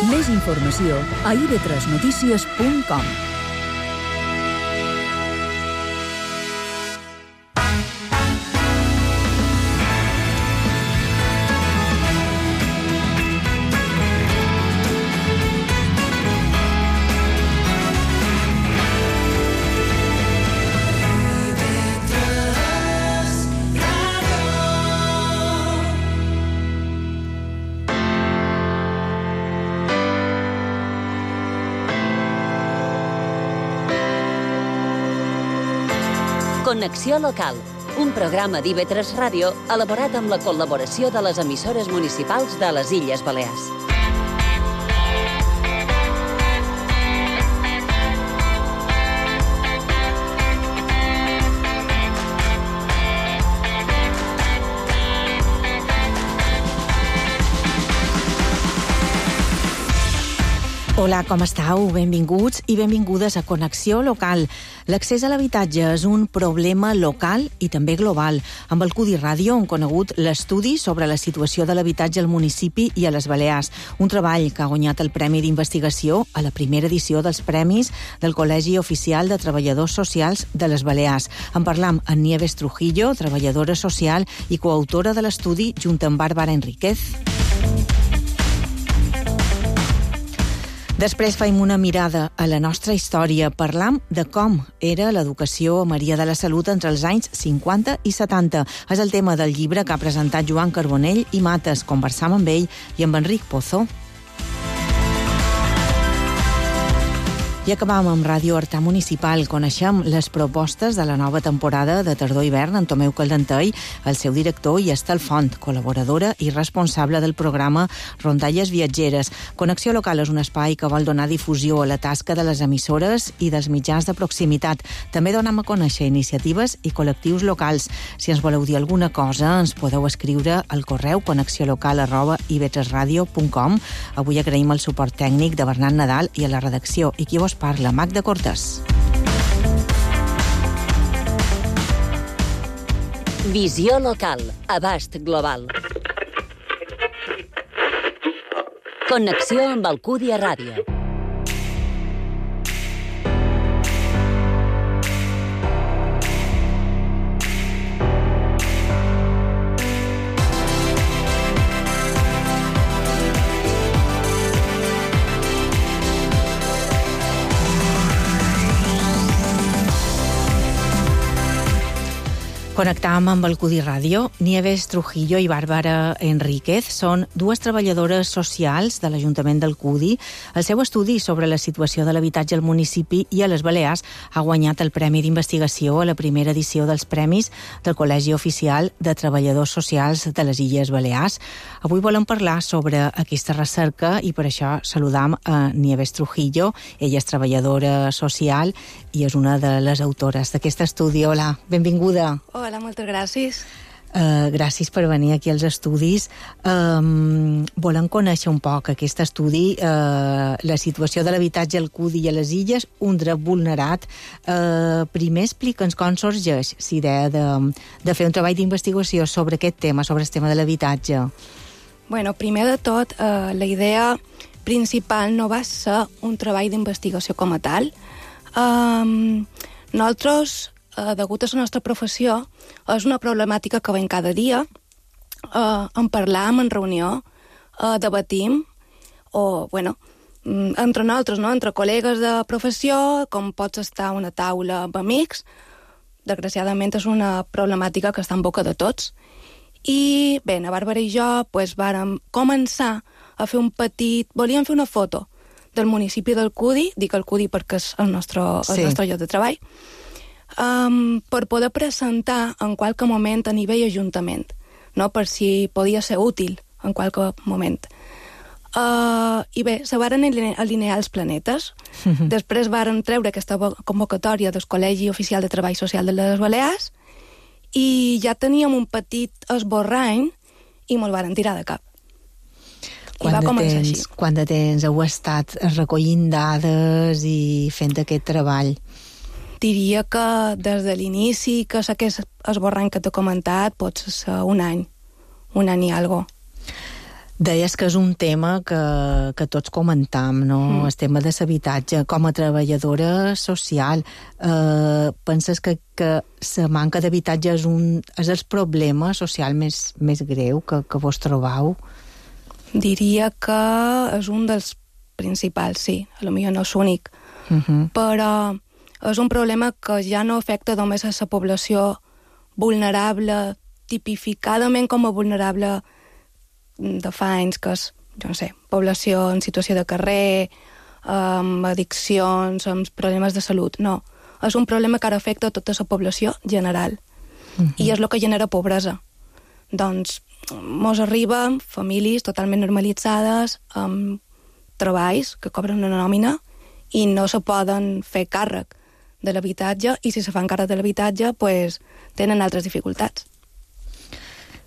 Més informació a ib3notícies.com. Connexió local, un programa d'IV3 Ràdio elaborat amb la col·laboració de les emissores municipals de les Illes Balears. Hola, com estàu? Benvinguts i benvingudes a Connexió Local. L'accés a l'habitatge és un problema local i també global. Amb el Cudi Ràdio hem conegut l'estudi sobre la situació de l'habitatge al municipi i a les Balears, un treball que ha guanyat el Premi d'Investigació a la primera edició dels Premis del Col·legi Oficial de Treballadors Socials de les Balears. En parlam amb Nieves Trujillo, treballadora social i coautora de l'estudi, junt amb Bàrbara Enríquez. Després faim una mirada a la nostra història. Parlam de com era l'educació a Maria de la Salut entre els anys 50 i 70. És el tema del llibre que ha presentat Joan Carbonell i Mates. Conversam amb ell i amb Enric Pozo. I acabam amb Ràdio Artà Municipal. Coneixem les propostes de la nova temporada de tardor-hivern en Tomeu Caldentei, el seu director, i Estel Font, col·laboradora i responsable del programa Rondalles Viatgeres. Connexió Local és un espai que vol donar difusió a la tasca de les emissores i dels mitjans de proximitat. També donem a conèixer iniciatives i col·lectius locals. Si ens voleu dir alguna cosa, ens podeu escriure al correu connexiolocal@ib3radio.com. Avui agraïm el suport tècnic de Bernat Nadal i a la redacció. I qui vos parla, Magda Cortés. Visió local, abast global. Connexió amb el Cudi a Ràdio. Connectam amb el Cudi Ràdio. Nieves Trujillo i Bàrbara Enríquez són dues treballadores socials de l'Ajuntament del Cudi. El seu estudi sobre la situació de l'habitatge al municipi i a les Balears ha guanyat el Premi d'Investigació a la primera edició dels Premis del Col·legi Oficial de Treballadors Socials de les Illes Balears. Avui volem parlar sobre aquesta recerca i per això saludam a Nieves Trujillo. Ella és treballadora social i és una de les autores d'aquest estudi. Hola, benvinguda. Hola, moltes gràcies. Gràcies per venir aquí als estudis. Volem conèixer un poc aquest estudi, la situació de l'habitatge al Cudi i a les Illes, un dret vulnerat. Primer explica'ns com sorgeix l'idea de fer un treball d'investigació sobre aquest tema, sobre el tema de l'habitatge. Bueno, primer de tot, la idea principal no va ser un treball d'investigació com a tal. Nosaltres, degut a la nostra professió, és una problemàtica que veiem cada dia. En parlam, en reunió, debatim, o, bueno, entre nosaltres, no? Entre col·legues de professió, com pots estar a una taula amb amics. Desgraciadament és una problemàtica que està en boca de tots. I bé, la Bàrbara i jo vàrem començar a fer volíem fer una foto del municipi del Cudi, dic el Cudi perquè és el nostre lloc de treball, per poder presentar en qualque moment a nivell ajuntament, no? Per si podia ser útil en qualque moment. I bé, se varen alinear els planetes. Després varen treure aquesta convocatòria del Col·legi Oficial de Treball Social de les Balears i ja teníem un petit esborrany i me'l varen tirar de cap. Quant de temps heu estat recollint dades i fent aquest treball? Diria que des de l'inici, que aquest esborrany que t'he comentat, pot ser un any i algo. Deies que és un tema que tots comentam, no? El tema de l'habitatge. Com a treballadora social, penses que la manca d'habitatge és el problema social més greu que vos trobau? Diria que és un dels principals, sí. Potser no és únic. Però és un problema que ja no afecta només a la població vulnerable, tipificadament com a vulnerable de fa anys, que és, jo no sé, població en situació de carrer, amb addiccions, amb problemes de salut. No, és un problema que ara afecta a tota la població general. I és el que genera pobresa. Doncs mos arriben famílies totalment normalitzades, amb treballs que cobren una nòmina i no se poden fer càrrec de l'habitatge, i si se fan càrrec de l'habitatge, pues, tenen altres dificultats.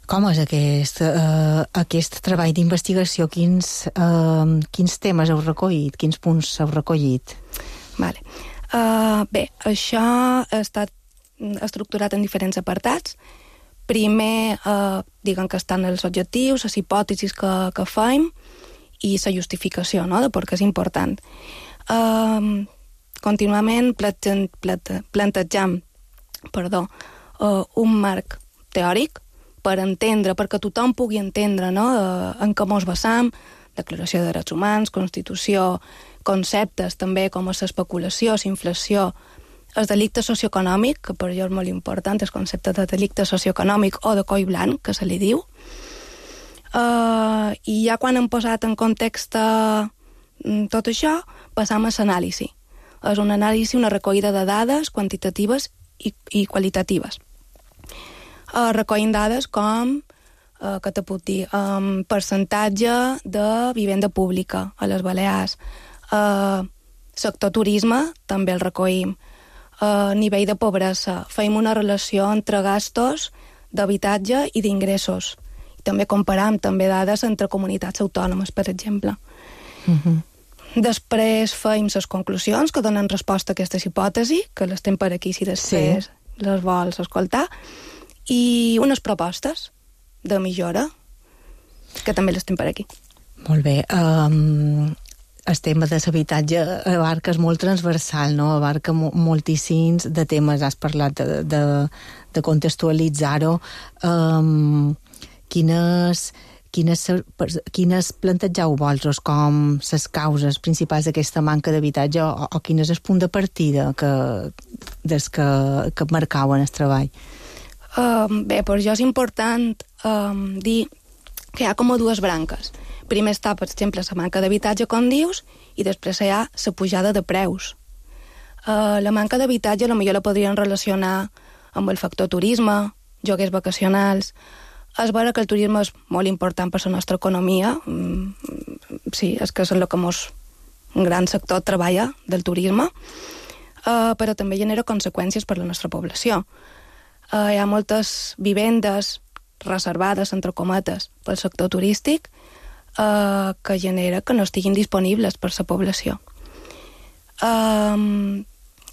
Com és aquest treball d'investigació? Quins temes heu recollit? Quins punts heu recollit? Vale. Bé, això ha estat estructurat en diferents apartats. Primer, diguem que estan els objectius, les hipòtesis que fem i la justificació, no?, de per què és important. Continuament plantejam un marc teòric per entendre, perquè tothom pugui entendre, no?, en què mos basam, Declaració de Drets Humans, Constitució, conceptes també com l'especulació, l'inflació, el delicte socioeconòmic, que per jo és molt important, el concepte de delicte socioeconòmic o de coll blanc, que se li diu. I ja quan hem posat en context tot això, passam a l'anàlisi. És una anàlisi, una recollida de dades quantitatives i qualitatives. Recollim dades com, que te puc dir, percentatge de vivenda pública a les Balears, sector turisme, també el recollim, nivell de pobresa, feim una relació entre gastos d'habitatge i d'ingressos. També comparam també dades entre comunitats autònomes, per exemple. Després feim les conclusions que donen resposta a aquestes hipòtesis, que les tem per aquí si després les vols escoltar, i unes propostes de millora, que també les tem per aquí. Molt bé. El tema de l'habitatge abarca, és molt transversal, no? Abarca moltíssims de temes. Has parlat de contextualitzar-ho. Quines plantegeu vosaltres com les causes principals d'aquesta manca d'habitatge o quin és el punt de partida que marcau en el treball? Bé, per jo és important dir que hi ha com a dues branques. Primer està, per exemple, la manca d'habitatge, com dius, i després hi ha la pujada de preus. La manca d'habitatge potser la podrien relacionar amb el factor turisme, lloguers vacacionals. És vera que el turisme és molt important per la nostra economia. Sí, és que és el que un gran sector treballa del turisme, però també genera conseqüències per la nostra població. Hi ha moltes vivendes reservades, entre cometes, pel sector turístic, que genera que no estiguin disponibles per la població.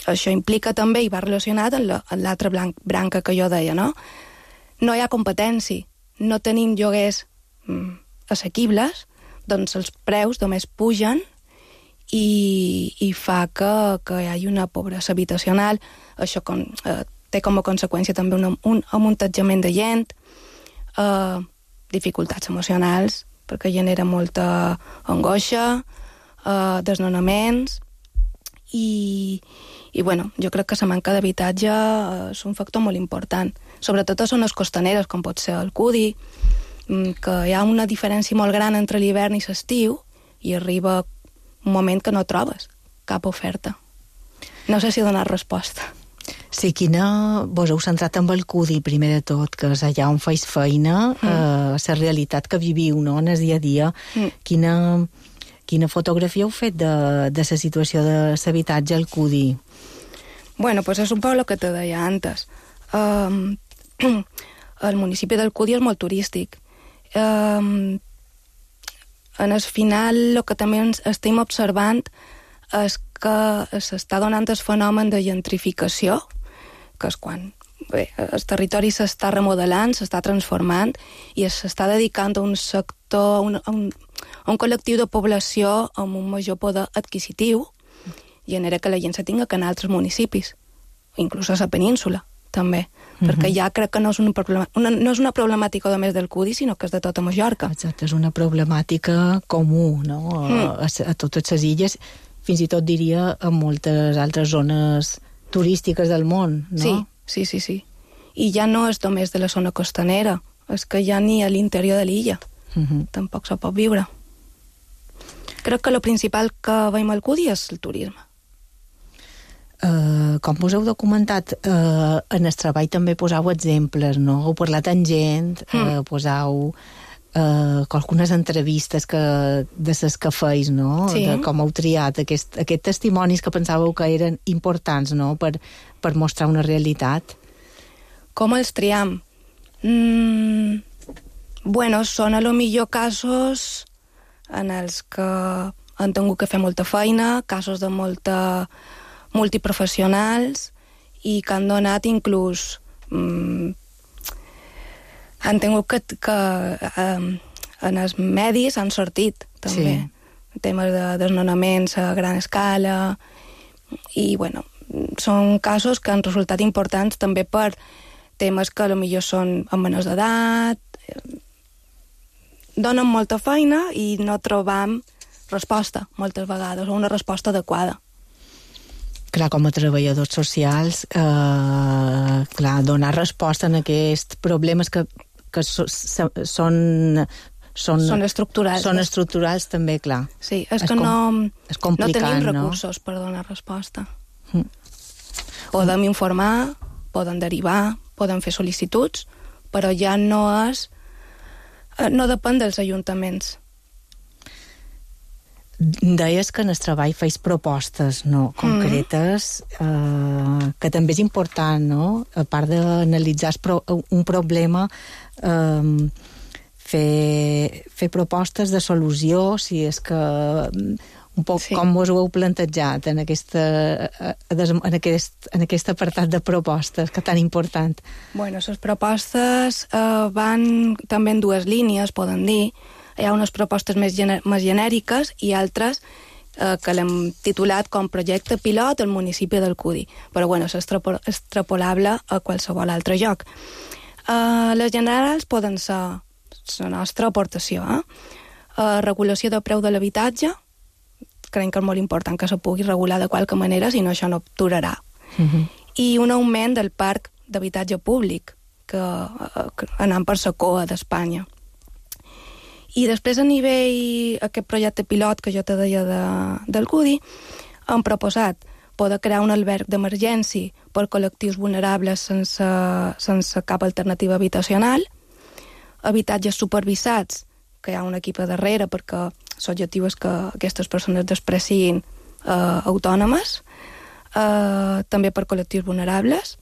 Això implica també, i va relacionat amb l'altra branca que jo deia, no? No hi ha competència, no tenim lloguers assequibles, doncs els preus només pugen i fa que hi hagi una pobresa habitacional. Això té com a conseqüència també un amuntatjament de gent, dificultats emocionals, perquè genera molta angoixa, desnonaments, i bueno, jo crec que la manca d'habitatge és un factor molt important, sobretot a zones costaneres, com pot ser el Cudi, que hi ha una diferència molt gran entre l'hivern i l'estiu, i arriba un moment que no trobes cap oferta. No sé si donar resposta. Sí, vos heu centrat amb el Cudi, primer de tot, que és allà on feis feina, la realitat que viviu, no?, en el dia a dia. Quina fotografia heu fet de la situació de l'habitatge al Cudi? Bueno, pues és un poc el que te deia antes. El municipi del Cudi és molt turístic. En el final, el que també estem observant és que s'està donant el fenomen de gentrificació, que és quan el territori s'està remodelant, s'està transformant i s'està dedicant a un sector, a un col·lectiu de població amb un major poder adquisitiu, genera que la gent se tinga que anar a altres municipis, inclús a la península, també, perquè ja crec que no és una problemàtica només del CUDI, sinó que és de tota Mallorca. Exacte, és una problemàtica comú, no?, a totes les illes, fins i tot diria en moltes altres zones turístiques del món, no? Sí. I ja no és només de la zona costanera, és que ja ni a l'interior de l'illa. Tampoc se pot viure. Crec que el principal que veiem al CUDI és el turisme. Com us heu documentat, en el treball també posau exemples, no? Heu parlat amb gent, posau algunes entrevistes de les que feis, no? Sí. De com heu triat aquests testimonis que pensàveu que eren importants, no?, per mostrar una realitat. Com els triam? Bueno, són a lo millor casos en els que han tingut que fer molta feina, casos de multiprofessionals i que han donat inclús han tingut que en els medis han sortit també temes de desnonaments a gran escala i bueno, són casos que han resultat importants també per temes que potser són amb menors d'edat, donen molta feina i no trobam resposta moltes vegades, o una resposta adequada. Clar, com a treballadors socials, donar resposta a aquests problemes que són estructurals. Són estructurals també, clar. Sí, és que no tenim recursos per donar resposta. Podem informar, podem derivar, podem fer sol·licituds, però ja no depèn dels ajuntaments. Deies que en el treball feis propostes, no, concretes, que també és important, no? A part d'analitzar un problema, fer propostes de solució, si és que un poc com us ho heu plantejat en aquest apartat de propostes, que tan important. Bueno, les propostes van també en dues línies, poden dir. Hi ha unes propostes més genèriques i altres que l'hem titulat com projecte pilot al municipi del CUDI, però bueno, és extrapolable a qualsevol altre lloc. Les generals poden ser la nostra aportació. Regulació del preu de l'habitatge, crec que és molt important que se pugui regular de qualque manera, si no això no durarà. I un augment del parc d'habitatge públic, que anant per la cua d'Espanya. I després a nivell, aquest projecte pilot que jo te deia del CUDI, han proposat poder crear un alberg d'emergència per col·lectius vulnerables sense cap alternativa habitacional, habitatges supervisats, que hi ha un equip a darrere perquè l'objectiu és que aquestes persones després siguin autònomes, també per col·lectius vulnerables,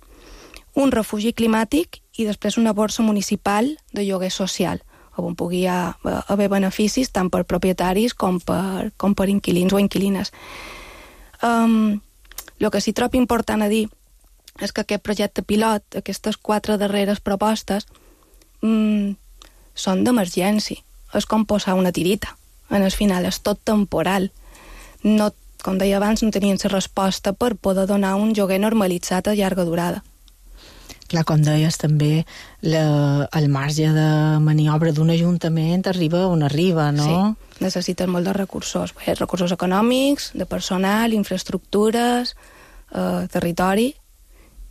un refugi climàtic i després una borsa municipal de lloguer social, on pugui haver beneficis tant per propietaris com per inquilins o inquilines. El que sí trobo important a dir és que aquest projecte pilot, aquestes 4 darreres propostes, són d'emergència. És com posar una tirita. En el final és tot temporal. No, com deia abans, no tenien la resposta per poder donar un lloguer normalitzat a llarga durada. Clar, com deies, també el marge de maniobra d'un ajuntament arriba on arriba, no? Sí, necessiten molt de recursos. Recursos econòmics, de personal, infraestructures, territori.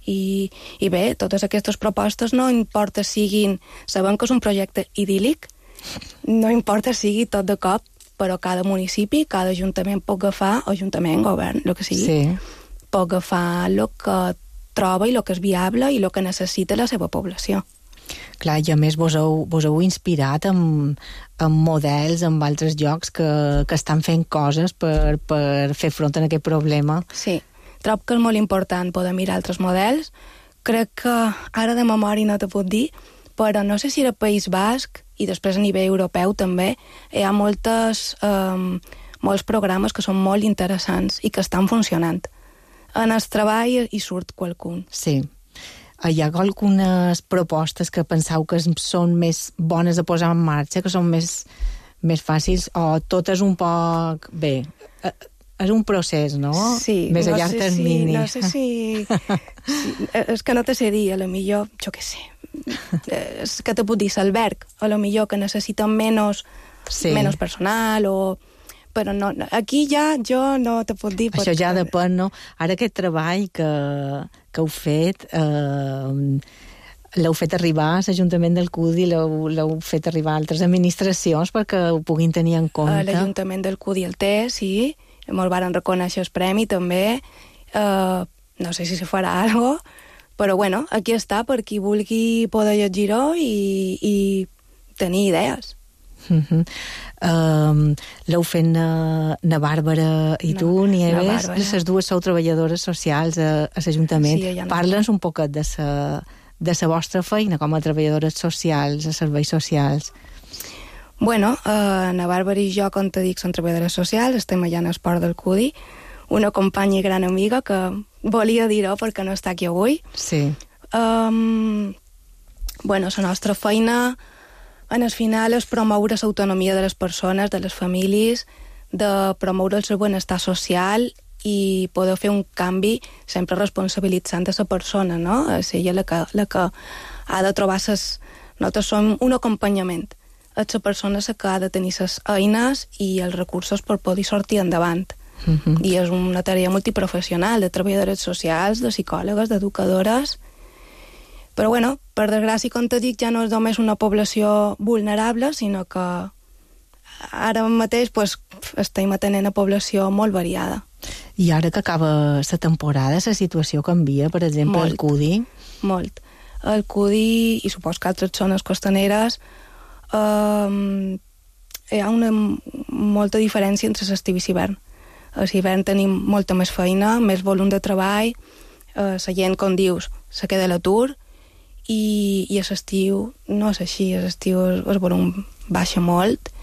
I bé, totes aquestes propostes no importa siguin... Sabem que és un projecte idíl·lic, no importa sigui tot de cop, però cada municipi, cada ajuntament pot agafar, ajuntament, govern, el que sigui, pot agafar el que troba i el que és viable i el que necessita la seva població. Clar, i a més vos heu inspirat en models en altres llocs que estan fent coses per fer front a aquest problema. Sí, trobo que és molt important poder mirar altres models. Crec que ara de memòria no te puc dir, però no sé si era País Basc i després a nivell europeu també hi ha molts programes que són molt interessants i que estan funcionant. En el treball hi surt qualcun. Sí. hi ha algunes propostes que penseu que són més bones de posar en marxa, que són més fàcils, o tot és un poc... Bé, és un procés, no? Sí. Més a llarg termini. No sé si... És que no te sé dir, a lo millor, jo què sé, és que te puc dir l'alberg, a lo millor que necessiten menys personal, però no, aquí ja jo no te puc dir... Això ja depèn, no? Ara aquest treball que heu fet... l'heu fet arribar a l'Ajuntament del CUDI, l'heu fet arribar a altres administracions perquè ho puguin tenir en compte. L'Ajuntament del CUDI el té, sí, me'l varen reconèixer el premi també, no sé si se farà alguna cosa, però bueno, aquí està per qui vulgui poder llegir-ho i tenir idees. L'heu fet na Bàrbara i tu, Nieves, les dues sou treballadores socials a l'Ajuntament. Parla'ns un poquet de la vostra feina com a treballadores socials, a serveis socials. Bueno, na Bàrbara i jo, com te dic, som treballadores socials, estem allà en esport del CUDI, una companya i gran amiga que volia dir-ho perquè no està aquí avui. Sí. Bueno, la nostra feina en el final és promoure l'autonomia de les persones, de les famílies, de promoure el seu benestar social i poder fer un canvi sempre responsabilitzant a la persona, no? És ella la que ha de trobar nosaltres som un acompanyament. És la persona la que ha de tenir les eines i els recursos per poder sortir endavant. I és una tarea multiprofessional de treballadores socials, de psicòlogues, d'educadores. Però, bueno, per desgràcia, com te dic, ja no és només una població vulnerable, sinó que ara mateix estem atenent a població molt variada. I ara que acaba la temporada, la situació canvia, per exemple, al CUDI? Molt. Al CUDI, i supos que altres zones costaneres, hi ha una molta diferència entre l'estiu i l'hivern. A l'hivern tenim molta més feina, més volum de treball, la gent, com dius, se queda a l'atur, i a l'estiu no és així, a l'estiu el volum baixa molt,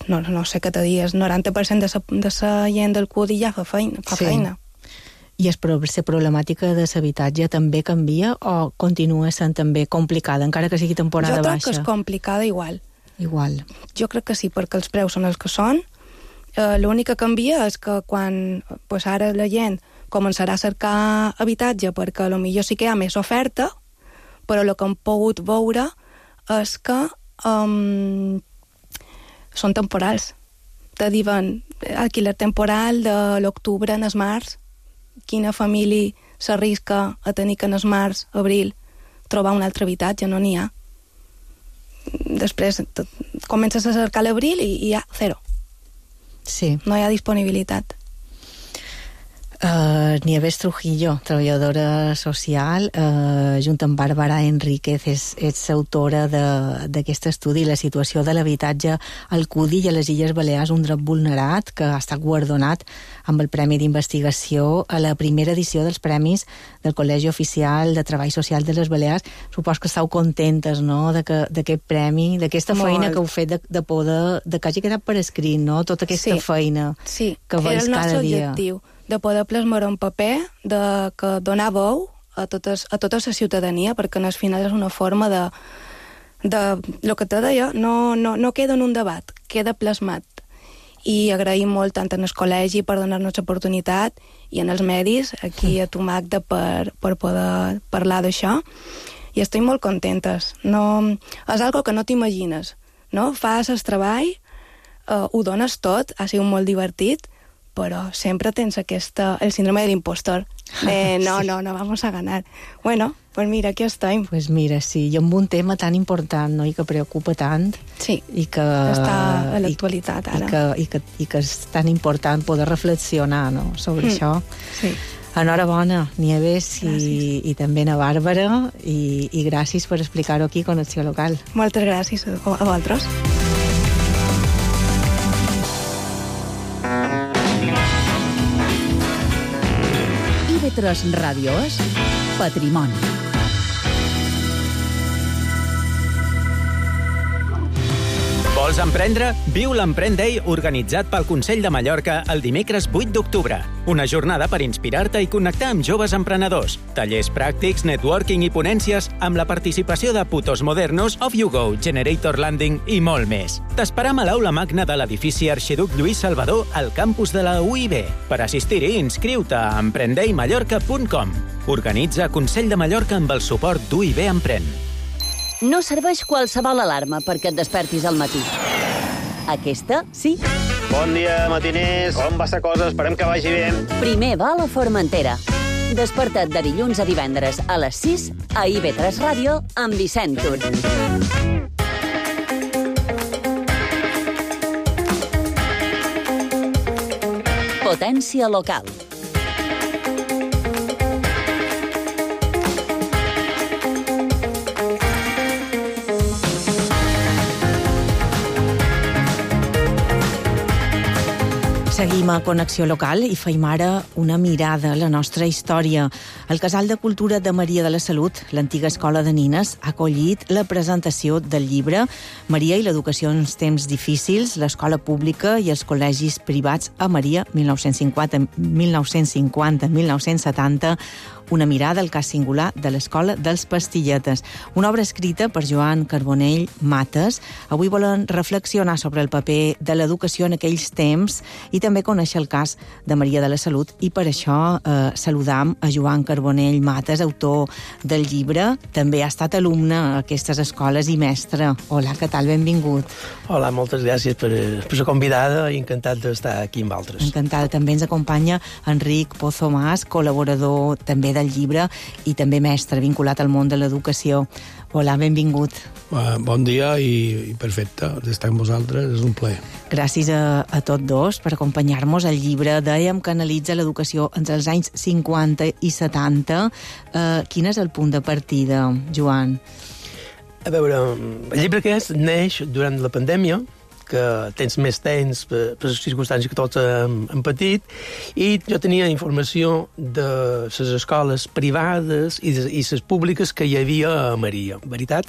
no sé què te dir, el 90% de la gent del CUDI ja fa feina. I la problemàtica de l'habitatge també canvia o continua sent també complicada, encara que sigui temporada baixa? Jo crec que és complicada igual. Jo crec que sí, perquè els preus són els que són. L'únic que canvia és que quan ara la gent començarà a cercar habitatge perquè potser sí que hi ha més oferta, però el que hem pogut veure és que són temporals. Te diuen alquiler temporal de l'octubre en el març. Quina família s'arrisca a tenir que en el març, abril, trobar un altre habitatge? No n'hi ha. Després comences a cercar l'abril i hi ha zero. Sí. No hi ha disponibilitat. Nieves Trujillo, treballadora social, junt amb Bàrbara Enríquez, ets autora d'aquest estudi, la situació de l'habitatge al CUDI i a les Illes Balears, un dret vulnerat, que ha estat guardonat amb el Premi d'Investigació a la primera edició dels Premis del Col·legi Oficial de Treball Social de les Balears. Supos que esteu contentes, no?, d'aquest premi, d'aquesta feina que heu fet de poder, de que hagi quedat per escrit, no?, tota aquesta feina que veus cada dia. Sí, era el nostre objectiu, de poder plasmar un paper, de donar veu a tota la ciutadania, perquè al final és una forma de el que te deia, no queda en un debat, queda plasmat. I agraïm molt tant en el col·legi per donar-nos l'oportunitat i en els medis, aquí a tu, Magda, per poder parlar d'això. I estic molt contentes. És algo que no t'imagines, no? Fas el treball, ho dones tot, ha sigut molt divertit, però sempre tens el síndrome de l'impostor. No vamos a ganar. Bueno, pues mira, aquí estem. Pues mira, sí, i amb un tema tan important, no?, i que preocupa tant. Sí, i que està a l'actualitat ara. I que és tan important poder reflexionar, no?, sobre això. Sí. Enhorabona, Nieves, i també a Bàrbara, i gràcies per explicar-ho aquí a Connexió Local. Moltes gràcies a vosaltres. IB3 Ràdio és Patrimoni. Vols emprendre? Viu l'Emprèn Day organitzat pel Consell de Mallorca el dimecres 8 d'octubre. Una jornada per inspirar-te i connectar amb joves emprenedors. Tallers pràctics, networking i ponències amb la participació de Putos Modernos, Off You Go, Generator Landing i molt més. T'esperam a l'aula magna de l'edifici Arxiduc Lluís Salvador al campus de la UIB. Per assistir-hi, inscriu-te a emprendeimallorca.com. Organitza Consell de Mallorca amb el suport d'UIB Emprèn. No serveix qualsevol alarma perquè et despertis al matí. Aquesta, sí. Bon dia, matiners. Com va la cosa? Esperem que vagi bé. Primer va a la Formentera. Desperta't de dilluns a divendres a les 6 a IB3 Ràdio amb Vicent Tur. Potència local. Seguim a Connexió Local i feim ara una mirada a la nostra història. El Casal de Cultura de Maria de la Salut, l'antiga escola de nines, ha acollit la presentació del llibre Maria i l'educació en temps difícils, l'escola pública i els col·legis privats a Maria, 1950-1970, una mirada al cas singular de l'Escola dels Pastilletes. Una obra escrita per Joan Carbonell Mates. Avui volen reflexionar sobre el paper de l'educació en aquells temps i també conèixer el cas de Maria de la Salut, i per això saludam a Joan Carbonell Mates, autor del llibre. També ha estat alumne a aquestes escoles i mestre. Hola, què tal? Benvingut. Hola, moltes gràcies per la convidada i encantat d'estar aquí amb altres. Encantada. També ens acompanya Enric Pozo Mas, col·laborador també del llibre i també mestre vinculat al món de l'educació. Hola, benvingut. Bon dia i perfecte d'estar amb vosaltres, és un plaer. Gràcies a tots dos per acompanyar-nos. El llibre, dèiem, que analitza l'educació entre els anys 50 i 70. Quin és el punt de partida, Joan? A veure, el llibre aquest neix durant la pandèmia, que tens més temps per les circumstàncies que tots hem patit, i jo tenia informació de les escoles privades i les públiques que hi havia a Maria. En veritat,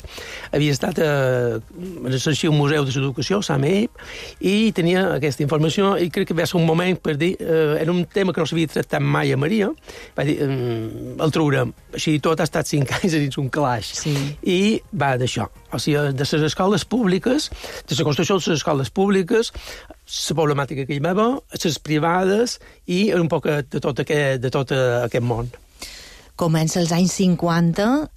havia estat a l'Arxiu Museu de l'Educació, SAMEIP, i tenia aquesta informació, i crec que va ser un moment per dir, era un tema que no s'havia tractat mai a Maria, va dir, el traurem. Així tot ha estat 5 anys dins un calaix. Sí. I va d'això. O sigui, de les escoles públiques, de la construcció de les escoles públiques, la problemàtica que hi va haver, les privades i un poc de tot aquest món. Comença els anys 50,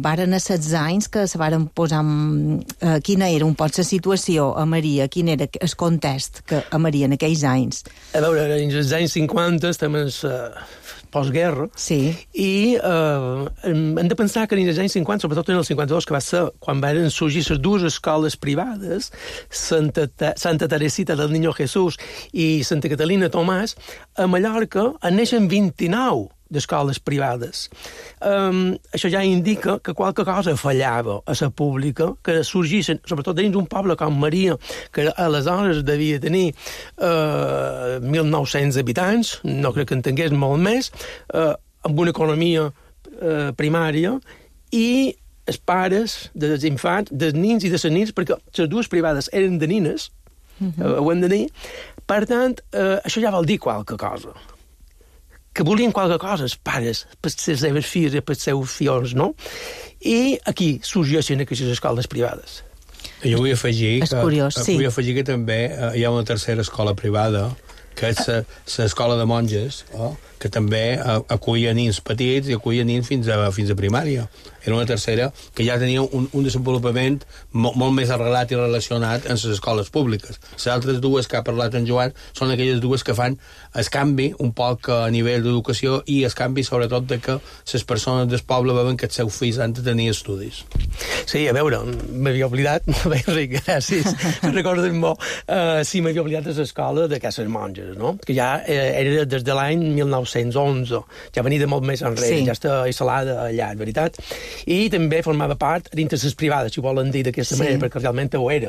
varen ser 16 anys que se varen posar... quina era un poc la situació a Maria? Quin era el context que a Maria en aquells anys? A veure, en els anys 50 estem en postguerra, sí. I hem de pensar que en els anys 50, sobretot en el 52, que va ser quan van sorgir les dues escoles privades, Santa Teresita del Niño Jesús i Santa Catalina Tomàs, a Mallorca en neixen 29 d'escoles privades. Això ja indica que qualque cosa fallava a la pública, que sorgissin, sobretot dins un poble com Maria, que aleshores devia tenir 1.900 habitants, no crec que en tingués molt més, amb una economia primària, i els pares dels infants, dels nins i de les nins, perquè les dues privades eren de nines, ho hem de dir, per tant, això ja vol dir qualque cosa. Que volien qualque cosa, els pares, per les seves filles i per els seus fills, no? I aquí sorgeixen aquestes escoles privades. Jo vull afegir curiós, sí. Vull afegir que també hi ha una tercera escola privada, que és l'escola de monges, que també acollia nins petits i acollia nins fins a primària. Era una tercera que ja tenia un desenvolupament molt més arrelat i relacionat amb les escoles públiques. Les altres dues que ha parlat en Joan són aquelles dues que fan el canvi un poc a nivell d'educació i el canvi sobretot de que les persones del poble veuen que els seus fills han de tenir estudis. Sí, a veure, m'havia oblidat, Enric, gràcies, recorden molt, sí, m'havia oblidat de l'escola de Cases Monges, no? Que ja era des de l'any 1911, ja venia de molt més enrere, sí. Ja està instal·lada allà, en veritat. I també formava part dintre les privades, si volen dir d'aquesta manera, perquè realment ho era,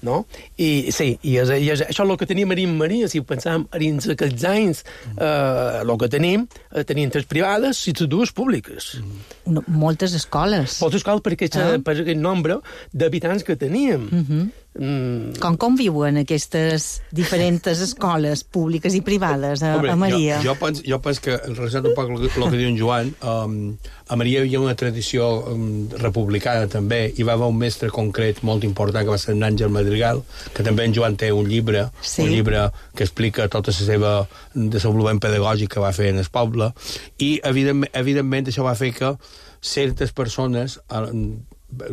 no? I sí, i això és el que tenim a Maria, si ho pensam, dins aquests anys, el que tenim tres privades i les dues públiques. Moltes escoles. Moltes escoles per aquest nombre d'habitants que teníem. Com viuen aquestes diferents escoles públiques i privades a Maria? Jo penso que, relacionat un poc el que diu en Joan, a Maria hi havia una tradició republicana també, hi va haver un mestre concret molt important que va ser en Àngel Madrigal, que també en Joan té un llibre que explica tota la seva desenvolupament pedagògic que va fer en el poble, i evidentment això va fer que certes persones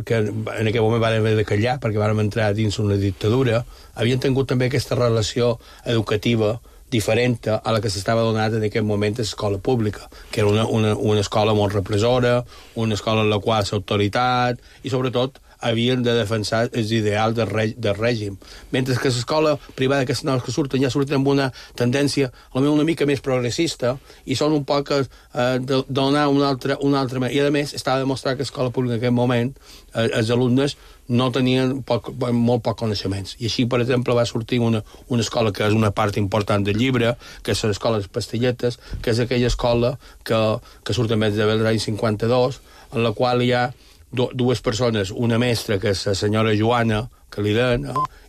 que en aquell moment van haver de callar perquè van entrar dins una dictadura, havien tingut també aquesta relació educativa diferent a la que s'estava donant en aquell moment a l'escola pública, que era una escola molt repressora, una escola en la qual l'autoritat i sobretot havien de defensar els ideals del règim. Mentre que l'escola privada, aquestes noves que surten, ja surten amb una tendència una mica més progressista i són un poc de donar una altra manera. I, a més, estava demostrat que l'escola pública en aquest moment, els alumnes no tenien molt poc coneixements. I així, per exemple, va sortir una escola que és una part important del llibre, que és l'escola de les Pastilletes, que és aquella escola que surt més de l'any 52, en la qual hi ha dues persones, una mestra, que és la senyora Joana, que li deien,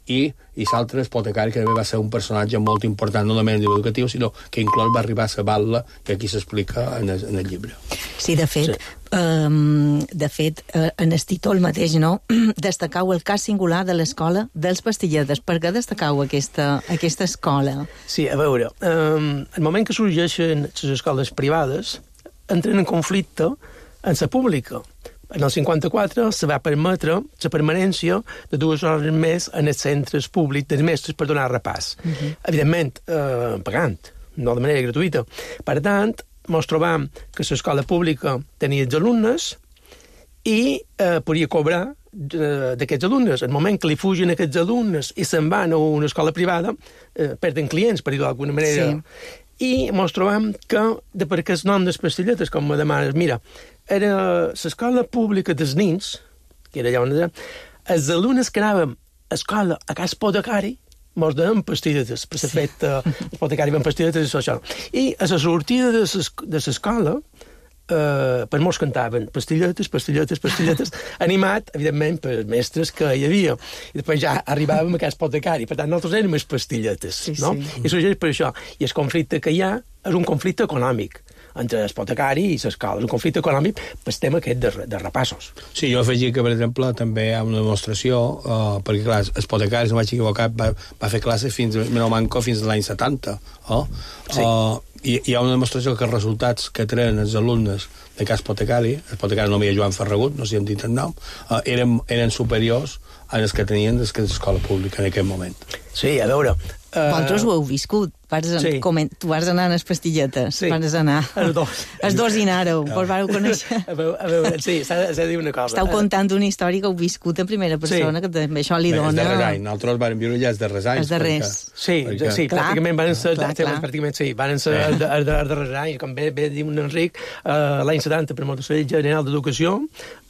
i l'altre Espotecari, que també va ser un personatge molt important, no només educatiu, sinó que inclús va arribar a saber-la, que aquí s'explica en el llibre. Sí, de fet, en el títol mateix, no? Destacau el cas singular de l'escola dels Pastilletes. Per què destacau aquesta escola? Sí, a veure, el moment que sorgeixen les escoles privades entren en conflicte amb la pública. En el 54 se va permetre la permanència de 2 hores més en els centres públics dels mestres per donar repàs. Evidentment, pagant, no de manera gratuïta. Per tant, ens trobam que l'escola pública tenia els alumnes i podia cobrar d'aquests alumnes. En el moment que li fugen aquests alumnes i se'n van a una escola privada, perden clients, per dir-ho d'alguna manera. Sí. I ens trobam que, per aquest nom dels Pastilletes, com me demanes, mira, era l'escola pública dels nins, que era allà on era, els alumnes que anàvem a escola a casa Potecari, mos deien Pastilletes, per ser fet Potecari van Pastilletes i això. I a la sortida de l'escola, per molts cantaven Pastilletes, Pastilletes, Pastilletes, animat, evidentment, per mestres que hi havia. I després ja arribàvem a casa Potecari, per tant, nosaltres érem els Pastilletes, no? I sorgeix per això. I el conflicte que hi ha és un conflicte econòmic entre l'Espotecari i l'escola. És un conflicte econòmic pel tema aquest de repassos. Sí, jo afegia que, per exemple, també hi ha una demostració, perquè, clar, l'Espotecari, si no vaig equivocat, va fer classes fins a l'any 70, Sí. I hi ha una demostració que els resultats que treien els alumnes de cas Potecari, el Potecari no havia Joan Ferragut, no sé si hem dit el nom, eren superiors als que tenien des de l'escola pública en aquell moment. Sí, a veure... Vosaltres ho heu viscut. Tu vas anar a les Pastilletes. Sí, vas anar. Els dos. Els dos hi anàreu, vos vareu conèixer. A veure, sí, s'ha de dir una cosa. Esteu contant una història que heu viscut en primera persona, que també això li dona... Els darrers anys. Nosaltres vam viure ja els darrers anys. Els darrers. Sí, pràcticament van ser... Pràcticament sí, van ser els darrers anys. Com bé diu un Enric, l'any 70, per molt de General d'Educació,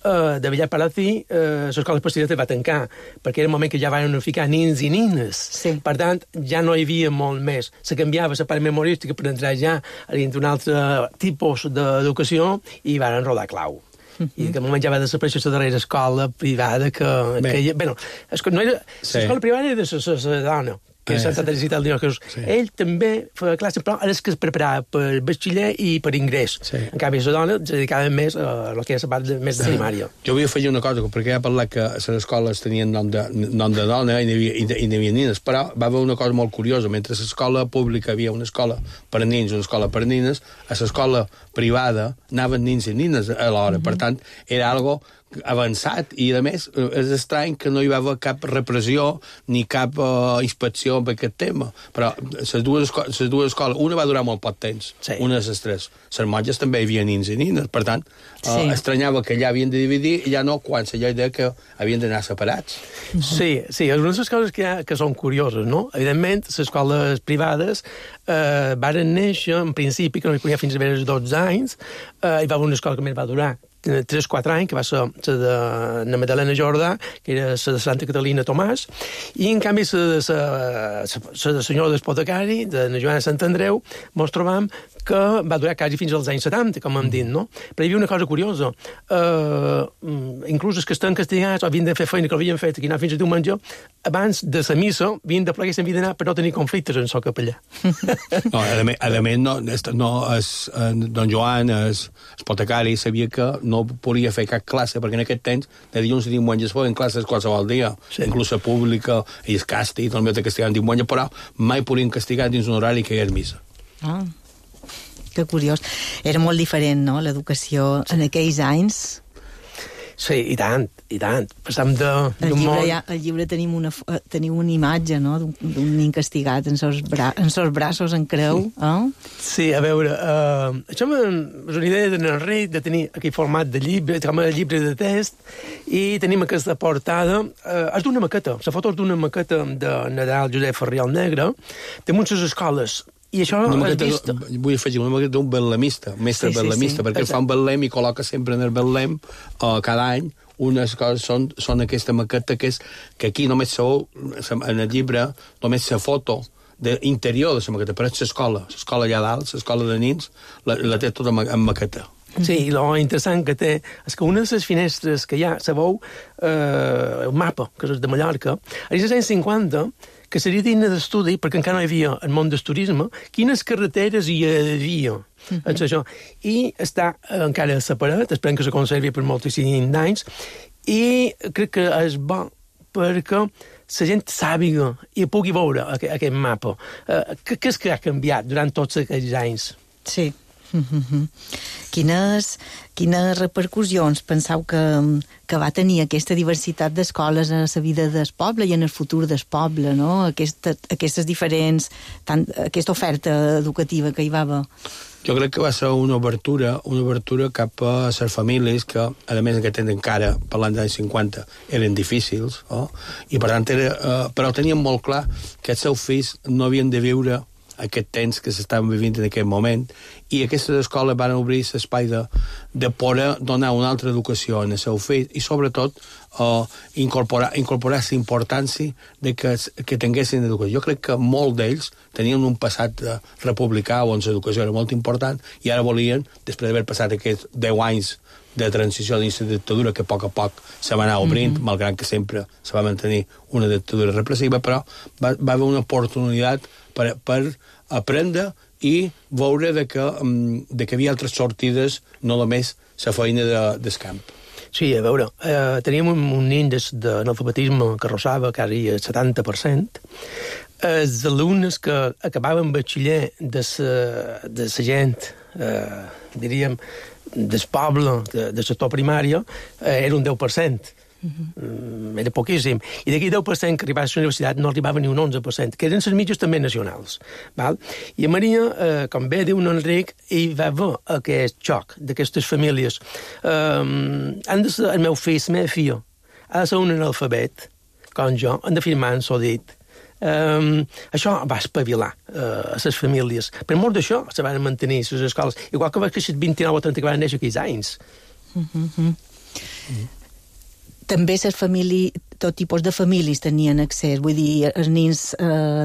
de Villar Palací, l'escola Pastilletes va tancar, perquè era el moment que ja van ficar nins i nines. Per tant, ja no hi havia molt més. Se canviava la part memorística per entrar ja dins d'un altre tipus d'educació i van enrodar clau. I en aquell moment ja va desaparèixer la darrera escola privada que bueno, l'escola privada era de la dona, que és Santa Teresita del Niño Jesús. Ell també feia classe, però ara és que es preparava per batxiller i per ingrés. En canvi, la dona es dedicava més a la que és la part més de primària. Jo vull afegir una cosa, perquè ja he parlat que les escoles tenien nom de dona i n'hi havia nines, però va haver una cosa molt curiosa. Mentre a l'escola pública havia una escola per nins i una escola per nines, a l'escola privada anaven nins i nines alhora. Per tant, era algo avançat i, a més, és estrany que no hi va haver cap repressió ni cap inspecció en aquest tema. Però les dues escoles, una va durar molt poc temps, una de les tres. Les monges també hi havia nins i nines, per tant, estranyava que allà havien de dividir i ja no, quan la llei deia que havien d'anar separats. Sí, una de les coses que són curioses, no? Evidentment, les escoles privades varen néixer, en principi, que no hi podia fins a veure 12 anys, hi va haver una escola que més va durar 3-4 anys, que va ser la de Madalena Jordà, que era la de Santa Catalina Tomàs, i en canvi la de senyora d'Espotecari, de la Joana Sant Andreu, ens trobam que va durar quasi fins als anys 70, com hem dit, no? Però hi havia una cosa curiosa. Inclús els que estan castigats o havien de fer feina que l'havien fet, que anaven fins a diumenge, abans de la missa havien de plegar i s'havien d'anar per no tenir conflictes en el capellà. No, a més, don Joan, el potecari, sabia que no podia fer cap classe, perquè en aquest temps, de dilluns a diumenge, es feien classes qualsevol dia, inclús la pública, i el càstig, també te castigaven diumenge, però mai podien castigar dins un horari que hi ha missa. Ah, que curiós. Era molt diferent, no?, l'educació en aquells anys. Sí, i tant, i tant. Passam d'un món... Al llibre tenim una imatge, no?, d'un nen castigat en sos braços en creu. Sí, a veure, això és una idea d'en Enric, de tenir aquell format de llibre, com a llibre de test, i tenim aquesta portada. És d'una maqueta, la foto és d'una maqueta de Nadal Josep Ferriol Negre, de moltes escoles. I això has vist... Vull afegir una maqueta d'un betlemista, un mestre betlemista, perquè fa un betlem i col·loca sempre en el betlem cada any unes coses, són aquesta maqueta que aquí només sabeu, en el llibre, només la foto d'interior de la maqueta, però és l'escola allà dalt, l'escola de nins, la té tota en maqueta. Sí, i lo interessant que té és que una de les finestres que hi ha, sabeu, el mapa, que és de Mallorca, als anys 50, que seria digne d'estudi, perquè encara no hi havia el món del turisme, quines carreteres hi havia. Això. I està encara separat, esperem que se conservi per moltíssims anys, i crec que és bo perquè la gent sàpiga i pugui veure aquest mapa. Què és que ha canviat durant tots aquests anys? Sí. Quines repercussions penseu que va tenir aquesta diversitat d'escoles en la vida del poble i en el futur del poble, no? Aquestes diferents... aquesta oferta educativa que hi va haver. Jo crec que va ser una obertura cap a les famílies que, a més, en aquest temps encara, parlant dels anys 50, eren difícils, i per tant, però tenien molt clar que els seus fills no havien de viure aquest temps que s'estaven vivint en aquest moment, i aquestes escoles van obrir l'espai de poder donar una altra educació en el seu fill i, sobretot, incorporar la importància de que tinguessin educació. Jo crec que molts d'ells tenien un passat republicà on l'educació era molt important i ara volien, després d'haver passat aquests 10 anys de transició dins la dictadura, que a poc se va anar obrint, malgrat que sempre se va mantenir una dictadura repressiva, però va haver una oportunitat per aprendre i veure que hi havia altres sortides, no només la feina del camp. Sí, a veure, teníem un índex d'analfabetisme que arrossava quasi el 70%. Els alumnes que acabaven batxiller de la gent, diríem, del poble, del sector primari, era un 10%. Era poquíssim. I d'aquí 10% que arribava a la universitat no arribava ni un 11%, que eren les mitges també nacionals. Val? I a Maria, com bé diu Enric, hi va haver aquest xoc d'aquestes famílies. El meu fill, la meva filla, ha de ser un analfabet, com jo, han de firmar en dit. Això va espavilar a les famílies. Per mort d'això se van mantenir les escoles, igual que va créixer 29 o 30 que van néixer aquells anys. També tot tipus de famílies tenien accés, vull dir, els nens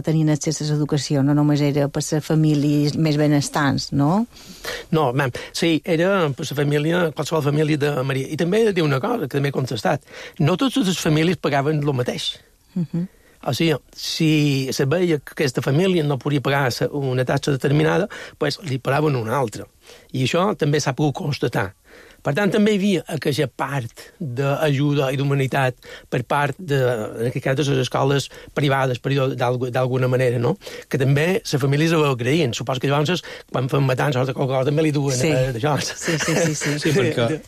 tenien accés a l'educació, no només era per les famílies més benestants, no? No, sí, era per la família, qualsevol família de Maria. I també he de dir una cosa, que també he contestat. No totes les famílies pagaven el mateix. O sigui, si se veia que aquesta família no podia pagar una taxa determinada, doncs li pagaven una altra. I això també s'ha pogut constatar. Per tant, també hi havia aquella part d'ajuda i d'humanitat per part de les escoles privades, per dir d'alguna manera, no? Que també les famílies ho agraïen. Suposo que llavors, quan fan matances o qualsevol cosa, també li duen d'això. Sí, perquè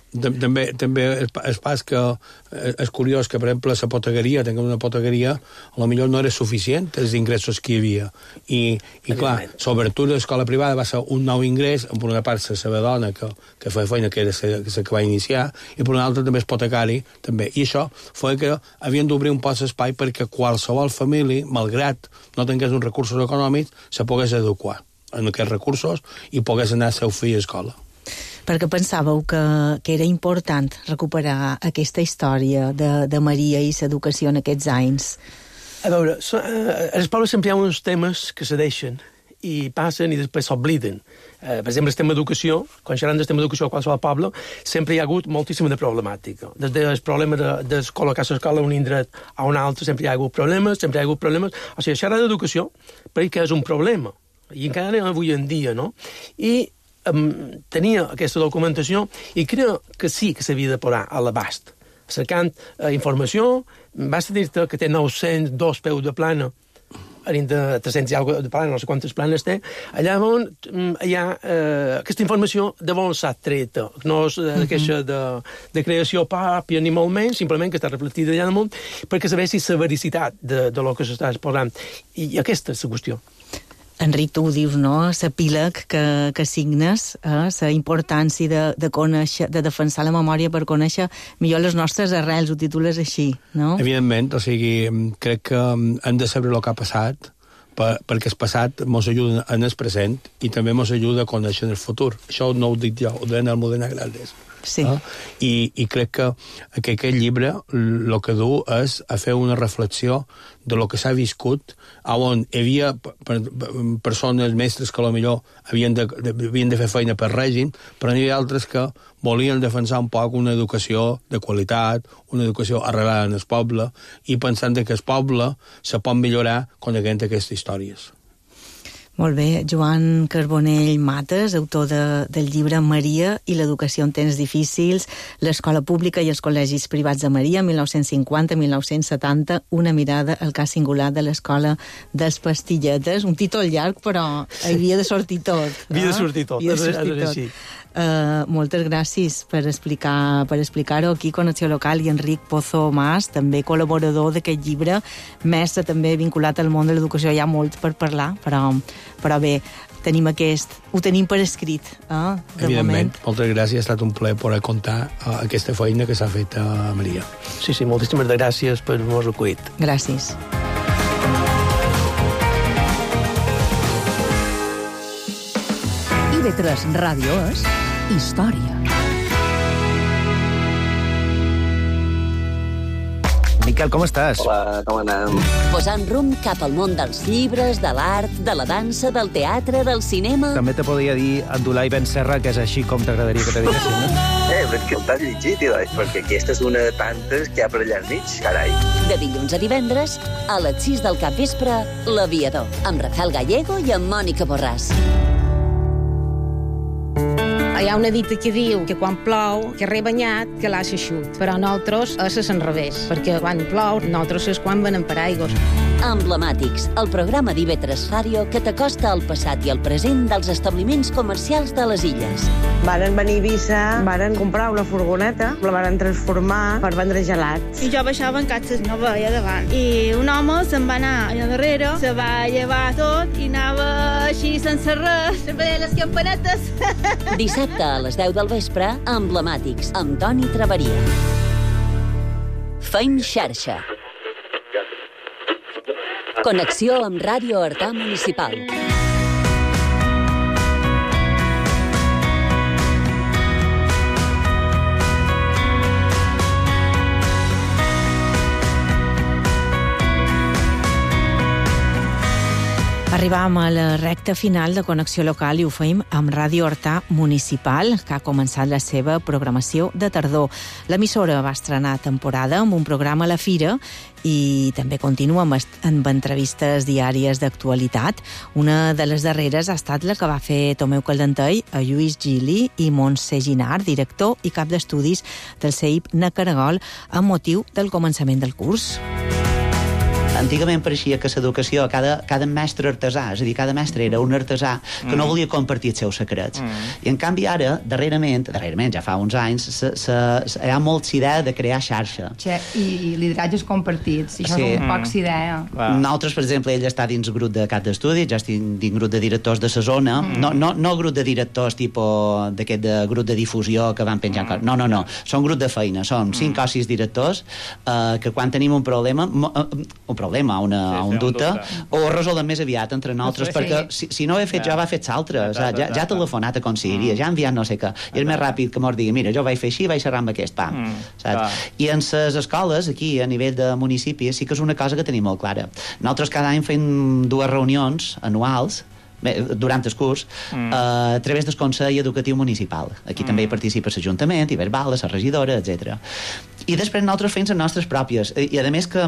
també és pas que és curiós que, per exemple, la potegueria, tenint una potegueria, potser no era suficient els ingressos que hi havia. I clar, l'obertura de l'escola privada va ser un nou ingrés, per una part la seva dona, que feia feina, que era la que va iniciar, i per una altra també espotecari, també. I això fa que havien d'obrir un poc d'espai perquè qualsevol família, malgrat no tingués uns recursos econòmics, se pogués adequar en aquests recursos i pogués anar al seu fill a escola. Perquè pensàveu que era important recuperar aquesta història de Maria i l'educació en aquests anys? A veure, a les pobles sempre hi ha uns temes que se deixen i passen i després s'obliden. Per exemple, el tema d'educació, quan xerrem del tema d'educació a qualsevol poble, sempre hi ha hagut moltíssima de problemàtica. Des del problema de col·locar l'escola a un indret a un altre, sempre hi ha hagut problemes, O sigui, xerrar d'educació, perquè és un problema. I encara avui en dia, no? I tenia aquesta documentació i crec que sí que s'havia de posar a l'abast. Cercant informació, basta dir-te que té 902 peus de plana, de 300 i alguna de plana, no sé quantes planes té, allà on hi ha aquesta informació de on s'ha treta, no és queixa de creació pròpia ni molt menys, simplement que està reflectida allà damunt, perquè sabessi la vericitat de lo que s'està exposant. I aquesta és la qüestió. Enric, tu ho dius, no?, l'epíleg que signes, la importància de conèixer, de defensar la memòria per conèixer millor les nostres arrels, ho titules així, no? Evidentment, o sigui, crec que hem de saber el que ha passat, perquè el passat ens ajuda en el present i també ens ajuda a conèixer el futur. Això no ho dic jo, ho deien el Modena Grades. Sí. I crec que aquest llibre el que du és a fer una reflexió de lo que s'ha viscut, on hi havia persones, mestres que potser havien de fer feina per règim, però n'hi havia altres que volien defensar un poc una educació de qualitat, una educació arrelada en el poble, i pensant que el poble se pot millorar coneixent aquestes històries. Molt bé. Joan Carbonell Mates, autor del llibre Maria i l'educació en temps difícils, l'escola pública i els col·legis privats de Maria, 1950-1970, una mirada al cas singular de l'escola dels Pastilletes. Un títol llarg, però havia de sortir tot. Havia de sortir tot, és així. Moltes gràcies per explicar-ho aquí, Connexió Local, i Enric Pozo Mas, també col·laborador d'aquest llibre, mestre també vinculat al món de l'educació. Hi ha molt per parlar, però bé, ho tenim per escrit, Evidentment, moltes gràcies, ha estat un plaer poder contar aquesta feina que s'ha fet a Maria. Sí, moltíssimes gràcies per m'ho recollit. Gràcies. IB3 Ràdio és història. Miquel, com estàs? Hola, com anem? Posant rumb cap al món dels llibres, de l'art, de la dansa, del teatre, del cinema... També te podria dir Abdulai Ben Serra, que és així com t'agradaria que te diguessin, no? Però que t'has llegit, perquè aquesta és una de tantes que hi ha per allà al mig, carai. De dilluns a divendres, a les 6 del capvespre, L'Aviador, amb Rafael Gallego i amb Mònica Borràs. Hi ha una dita que diu que quan plou, que rebanyat, que l'ha eixut. Però nosaltres és l'enrevés, perquè quan plou, nosaltres és quan venen paraigües. Emblemàtics, el programa d'IB3 Ràdio que t'acosta al passat i al present dels establiments comercials de les illes. Varen venir a Eivissa, varen comprar una furgoneta, la varen transformar per vendre gelats. I jo baixava en catxes, no veia davant. I un home se'n va anar allà darrere, se va llevar tot i anava així sense res, veia les campanetes. Dissabte a les 10 del vespre, Emblemàtics, amb Toni Traveria. Feim xarxa. Connexió amb Ràdio Artà Municipal. Arribam a la recta final de Connexió Local i ho feim amb Ràdio Artà Municipal, que ha començat la seva programació de tardor. L'emissora va estrenar temporada amb un programa a la Fira i també continua amb entrevistes diàries d'actualitat. Una de les darreres ha estat la que va fer Tomeu Caldentell a Lluís Gili i Montse Ginard, director i cap d'estudis del CEIP na Caragol, amb motiu del començament del curs. Antigament pareixia que l'educació, cada mestre artesà, és a dir, cada mestre era un artesà que no volia compartir els seus secrets. I en canvi ara, darrerament, ja fa uns anys, hi ha molta idea de crear xarxa. I lideratges compartits, i això és un poc idea. Nosaltres, per exemple, ell està dins grup de cap d'estudi, ja estic dins grup de directors de la zona, no grup de directors tipus d'aquest grup de difusió que van penjant coses. No, són grup de feina, són 5 o 6 directors que quan tenim un problema, un dubte, o ho resolem més aviat entre nosaltres, perquè si no ho he fet jo, va fet l'altre, ja ha telefonat a conselleria, ja ha enviat no sé què, i és més ràpid que mos digui, mira, jo vaig fer així, vaig xerrar amb aquest, pam. I en les escoles, aquí, a nivell de municipi, sí que és una cosa que tenim molt clara. Nosaltres cada any fem 2 reunions anuals durant el curs, a través del Consell Educatiu Municipal. Aquí també hi participa l'Ajuntament, i Verbal, la regidora, etc. I després nosaltres fem les nostres pròpies. I a més que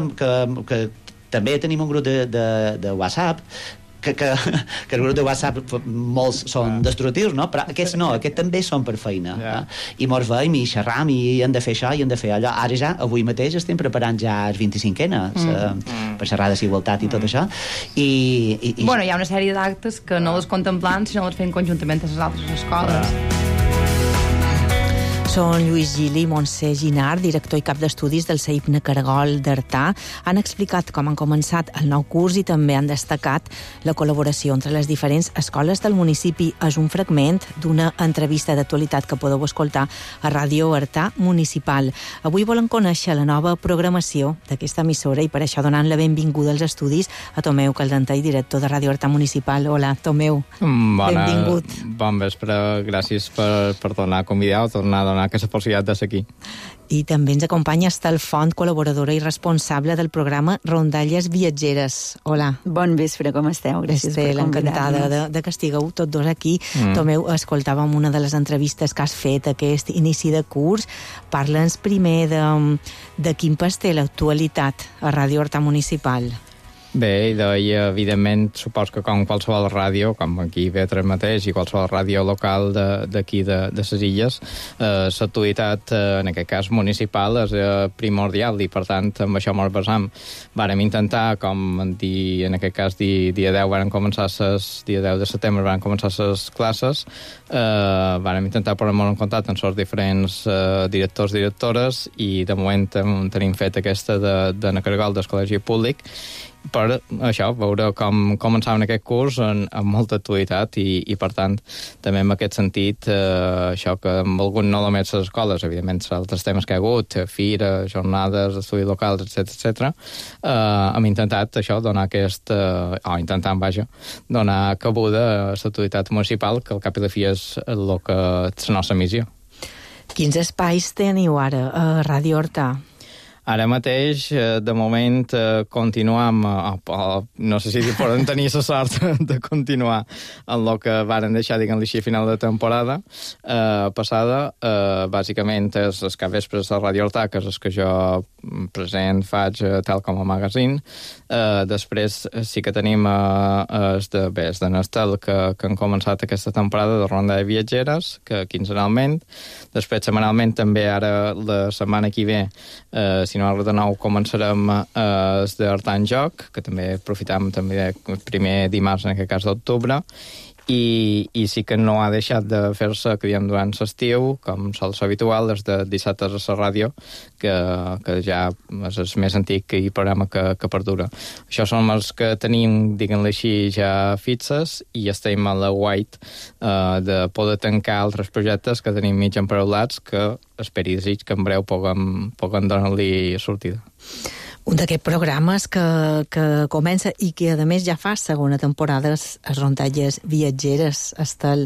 també tenim un grup de WhatsApp que el grup de WhatsApp molts són destructius, no? Però aquests no, aquests també són per feina. I mos veiem i xerram i hem de fer això i hem de fer allò. Ara ja, avui mateix estem preparant ja els 25enes per xerrar de igualtat i tot això. Bueno, hi ha una sèrie d'actes que no les contemplant, sinó les fem conjuntament a les altres escoles. Són Lluís Gili i Montse Ginard, director i cap d'estudis del CEIPNE Caragol d'Artà. Han explicat com han començat el nou curs i també han destacat la col·laboració entre les diferents escoles del municipi. És un fragment d'una entrevista d'actualitat que podeu escoltar a Ràdio Artà Municipal. Avui volen conèixer la nova programació d'aquesta emissora i per això donant la benvinguda als estudis a Tomeu Caldentei, director de Ràdio Artà Municipal. Hola, Tomeu. Benvingut. Bon vespre, gràcies per tornar a convidar o tornar a donar aquesta possibilitat de ser aquí. I també ens acompanya Estel Font, col·laboradora i responsable del programa Rondalles Viatgeres. Hola. Bon vespre, com esteu? Gràcies per convidar-nos. Encantada de que estigueu tots dos aquí. Tomeu, escoltàvem una de les entrevistes que has fet aquest inici de curs. Parla'ns primer de quin pas té l'actualitat a Ràdio Artà Municipal. Bé, i evidentment, supos que com qualsevol ràdio, com aquí Vetres mateix, i qualsevol ràdio local d'aquí de les Illes, l'actualitat, en aquest cas municipal, és primordial, i per tant, amb això ens basam. Vàrem intentar, com en aquest cas dia 10 de setembre van començar les classes, vàrem intentar posar-nos en contacte amb els diferents directors i directores, i de moment tenim fet aquesta de Caragol del Col·legi Públic, per això, veure com començaven aquest curs amb molta actualitat i per tant, també en aquest sentit, això que amb algun no només les escoles, evidentment, altres temes que hi ha hagut, fira, jornades, estudis locals, etc. Hem intentat això, donar donar cabuda a l'actualitat municipal, que al cap i la fi és el que és la nostra missió. Quins espais teniu ara a Ràdio Artà? Ara mateix, de moment, continuam, no sé si podem tenir la sort de continuar en el que varen deixar, diguem-li així, a final de temporada passada. Bàsicament, és els capvespres de Ràdio Artà, que és el que jo present faig tal com a magazine. Després sí que tenim els de Nestel, que han començat aquesta temporada de Ronda de Viatgeres, que quinzenalment. Després, setmanalment, també ara la setmana que ve, si no de nou començarem els d'Artà en Joc, que també aprofitam també el primer dimarts, en aquest cas d'octubre, i sí que no ha deixat de fer-se, que diem, durant l'estiu, com sol ser habitual, des de dissabtes a la ràdio, que ja és el més antic i programa que perdura. Això són els que tenim, diguem-li així, ja fixes, i estem a la guait de poder tancar altres projectes que tenim mig emparaulats, que esperi i desig que en breu puguem donar-li sortida. Un d'aquests programes que comença i que, a més, ja fa segona temporada, les Rondalles Viatgeres. Estel,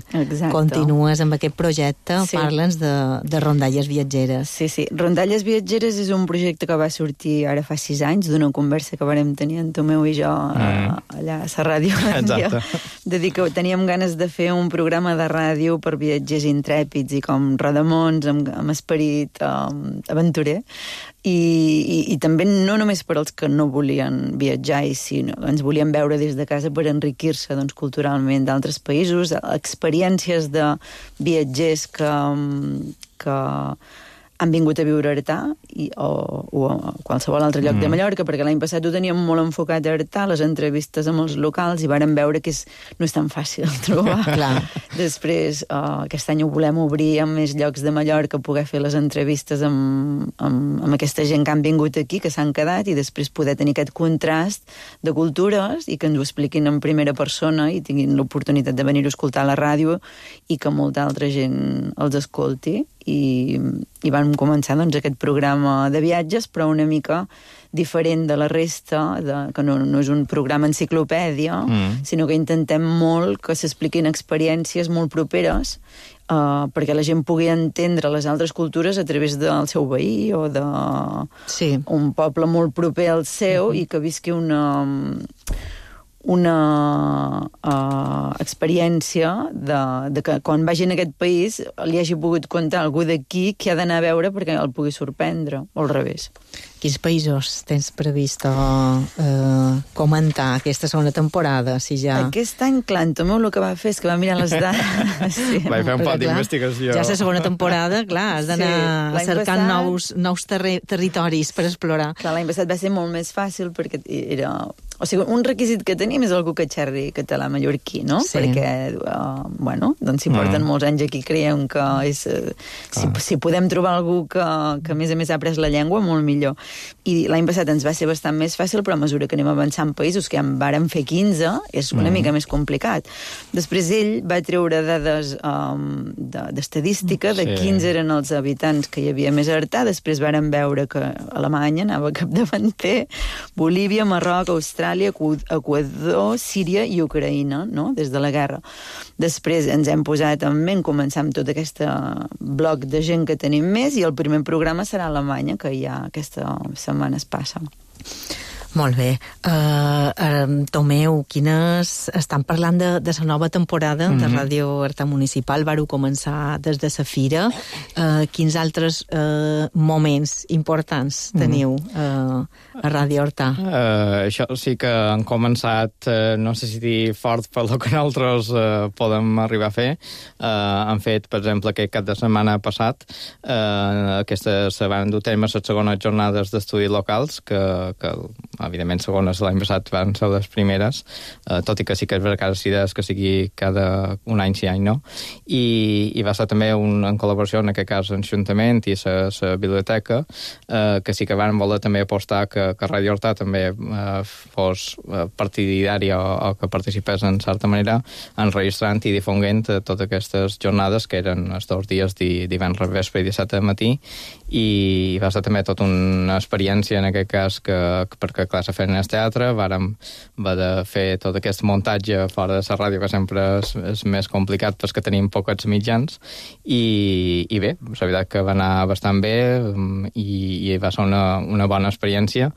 continues amb aquest projecte, sí. Parla'ns de Rondalles Viatgeres. Sí. Rondalles Viatgeres és un projecte que va sortir ara fa 6 anys, d'una conversa que vàrem tenir en Tomeu i jo allà a la ràdio. Exacte. De dir que teníem ganes de fer un programa de ràdio per viatgers intrèpids i com rodamons, amb esperit aventurer, i també no només per als que no volien viatjar i sinó ens volien veure des de casa per enriquir-se culturalment d'altres països, experiències de viatgers que han vingut a viure a Artà o a qualsevol altre lloc de Mallorca, perquè l'any passat ho teníem molt enfocat a Artà, les entrevistes amb els locals, i vàrem veure que no és tan fàcil trobar. Després, aquest any ho volem obrir amb més llocs de Mallorca, poder fer les entrevistes amb aquesta gent que han vingut aquí, que s'han quedat, i després poder tenir aquest contrast de cultures i que ens ho expliquin en primera persona i tinguin l'oportunitat de venir a escoltar a la ràdio i que molta altra gent els escolti. I vam començar aquest programa de viatges, però una mica diferent de la resta, que no és un programa enciclopèdia, sinó que intentem molt que s'expliquin experiències molt properes perquè la gent pugui entendre les altres cultures a través del seu veí o d'un poble molt proper al seu i que visqui una experiència de que quan vagi en aquest país li hagi pogut contar algú d'aquí que ha d'anar a veure perquè el pugui sorprendre, o al revés. Quins països tens previst comentar aquesta segona temporada? Si ja... Aquest any, clar, en Tomeu el que va fer és que va mirar les dades. Sí. Vaig fer un pot d'investigació. Ja és la segona temporada, clar, has d'anar cercant nous territoris per explorar. Clar, l'any passat va ser molt més fàcil perquè era... O sigui, un requisit que tenim és algú que xerri català mallorquí, no? Sí. Perquè, doncs si porten molts anys aquí, creiem que és... Si podem trobar algú que a més ha après la llengua, molt millor. I l'any passat ens va ser bastant més fàcil, però a mesura que anem avançant països, que ja en vàrem fer 15, és una mica més complicat. Després ell va treure dades d'estadística, de 15 eren els habitants que hi havia més a Artà, després vàrem veure que Alemanya anava capdavanter, Bolívia, Marroc, Austràlia, Equador, Síria i Ucraïna, no?, des de la guerra. Després ens hem posat en ment començar amb tot aquest bloc de gent que tenim més i el primer programa serà Alemanya, que ja aquesta setmana es passa. Molt bé. Tomeu, estan parlant de la nova temporada de Ràdio Artà Municipal, vau començar des de la fira. Quins altres moments importants teniu a Ràdio Artà? Això sí que han començat, no sé si dir fort per lo que nosaltres podem arribar a fer. Han fet, per exemple, aquest cap de setmana passat, se van dur a terme les segones jornades d'estudis locals, que evidentment segones l'any passat van ser les primeres, tot i que sí que és veritat que sigui cada un any sí any no, i va ser també en col·laboració en aquest cas amb l'Ajuntament i la biblioteca, que sí que van voler també apostar que Ràdio Artà també fos partidària o que participés en certa manera enregistrant i difonguent totes aquestes jornades que eren els 2 dies divendres vespre i dissabte matí, i va ser també tota una experiència en aquest cas perquè clar, se feien en el teatre, vàrem de fer tot aquest muntatge fora de la ràdio, que sempre és més complicat perquè tenim pocs mitjans, i bé, la veritat que va anar bastant bé i va ser una bona experiència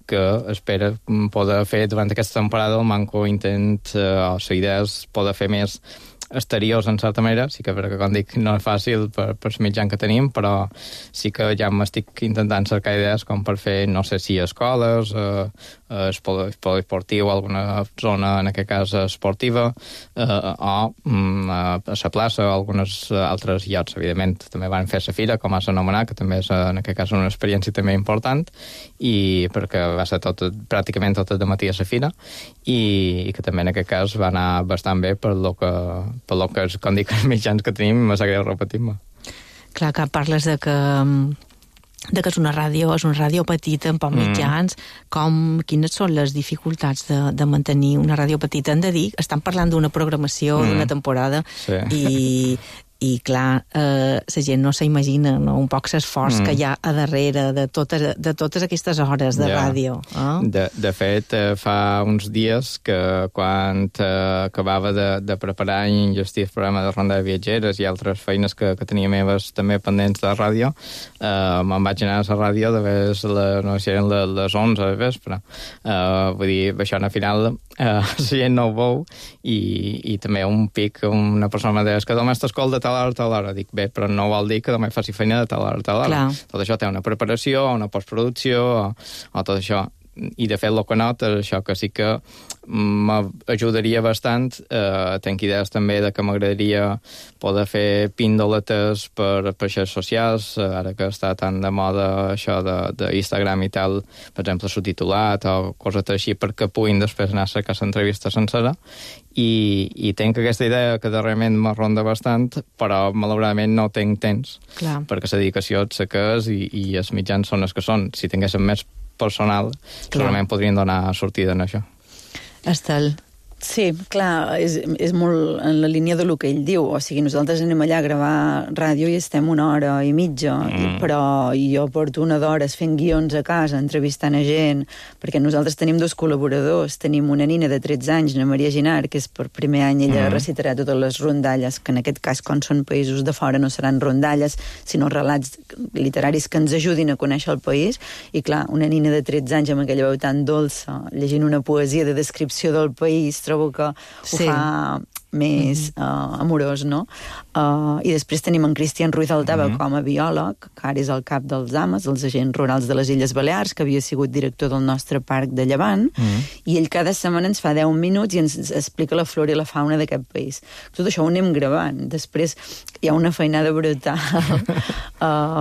que espero poder fer durant aquesta temporada. El manco intent, o la idea és poder fer més exteriors, en certa manera. Sí que, perquè, com dic, no és fàcil per el mitjan que tenim, però sí que ja m'estic intentant cercar idees com per fer, no sé si escoles, esportiu, alguna zona, en aquest cas, esportiva, o a la plaça, o algunes altres llocs. Evidentment, també van fer la fira, com has anomenat, que també és, en aquest cas, una experiència també important, i perquè va ser pràcticament tot el matí a la fira, i que també en aquest cas va anar bastant bé per lo que és, com dic, els mitjans que tenim, me sap greu repetir-me. Clar, que parles de que és una ràdio petita, amb pocs mitjans. Quines són les dificultats de mantenir una ràdio petita? Hem de dir, estan parlant d'una programació, d'una temporada, i clar, la gent no s'imagina, no? Un poc l'esforç que hi ha a darrere de totes aquestes hores de ràdio. De fet, fa uns dies que quan acabava de preparar i enllestir el programa de Ronda de Viatgeres i altres feines que tenia meves també pendents de la ràdio, me'n vaig anar a la ràdio no sé si eren les 11 de vespre. Vull dir, això al final la gent no ho veu, i també un pic, una persona me deia que només t'escolta tal hora. Dic, bé, però no vol dir que només faci feina de tal hora. Tot això té una preparació, una postproducció, o tot això. I de fet, el que noto és això, que sí que m'ajudaria bastant. Tenc idees també de que m'agradaria poder fer píndoletes per xarxes socials, ara que està tan de moda això d'Instagram i tal, per exemple, subtitulat o coses així, perquè puguin després anar a cercar l'entrevista sencera. I tenc aquesta idea que darrerament me ronda bastant, però malauradament no tinc temps, perquè la dedicació és la que és i els mitjans són els que són. Si tinguéssim més personal, segurament podrien donar sortida en això. Estel. Sí, clar, és molt en la línia del que ell diu. O sigui, nosaltres anem allà a gravar ràdio i estem 1 hora i mitja, però jo porto 1 d'hores fent guions a casa, entrevistant a gent, perquè nosaltres tenim 2 col·laboradors. Tenim una nina de 13 anys, la Maria Ginar, que és per primer any, ella recitarà totes les rondalles, que en aquest cas, quan són països de fora, no seran rondalles, sinó relats literaris que ens ajudin a conèixer el país. I clar, una nina de 13 anys amb aquella veu tan dolça, llegint una poesia de descripció del país, trobo que ho fa més amorós, no? I després tenim en Cristian Ruiz Altava com a biòleg, que ara és el cap dels AMAs, els agents rurals de les Illes Balears, que havia sigut director del nostre parc de Llevant, i ell cada setmana ens fa 10 minuts i ens explica la flora i la fauna d'aquest país. Tot això ho anem gravant. Després hi ha una feinada brutal